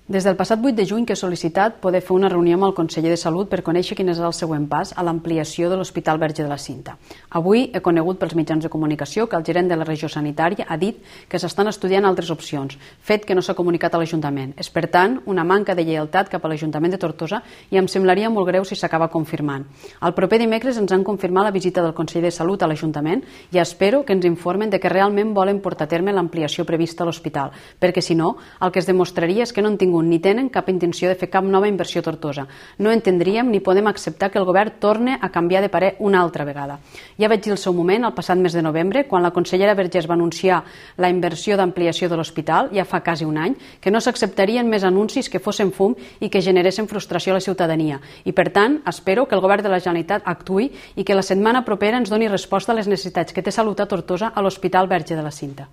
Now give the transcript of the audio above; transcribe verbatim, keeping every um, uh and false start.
Des del passat vuit de juny que he sol·licitat poder fer una reunió amb el conseller de Salut per conèixer quin és el següent pas a l'ampliació de l'Hospital Verge de la Cinta. Avui he conegut pels mitjans de comunicació que el gerent de la regió sanitària ha dit que s'estan estudiant altres opcions, fet que no s'ha comunicat a l'Ajuntament. És, per tant, una manca de lleialtat cap a l'Ajuntament de Tortosa i em semblaria molt greu si s'acaba confirmant. El proper dimecres ens han confirmat la visita del conseller de Salut a l'Ajuntament i espero que ens informen de que realment volen portar a terme l'ampliació prevista a l'hospital, perquè si no, el que es demostraria és que no han tingut ni tenen cap intenció de fer cap nova inversió a Tortosa. No entendríem ni podem acceptar que el govern torne a canviar de parer una altra vegada. Ja vaig dir el seu moment, el passat mes de novembre, quan la consellera Vergés va anunciar la inversió d'ampliació de l'hospital, ja fa quasi un any, que no s'acceptarien més anuncis que fossin fum i que generessin frustració a la ciutadania. I, per tant, espero que el govern de la Generalitat actuï i que la setmana propera ens doni resposta a les necessitats que té Salut a Tortosa a l'Hospital Verge de la Cinta.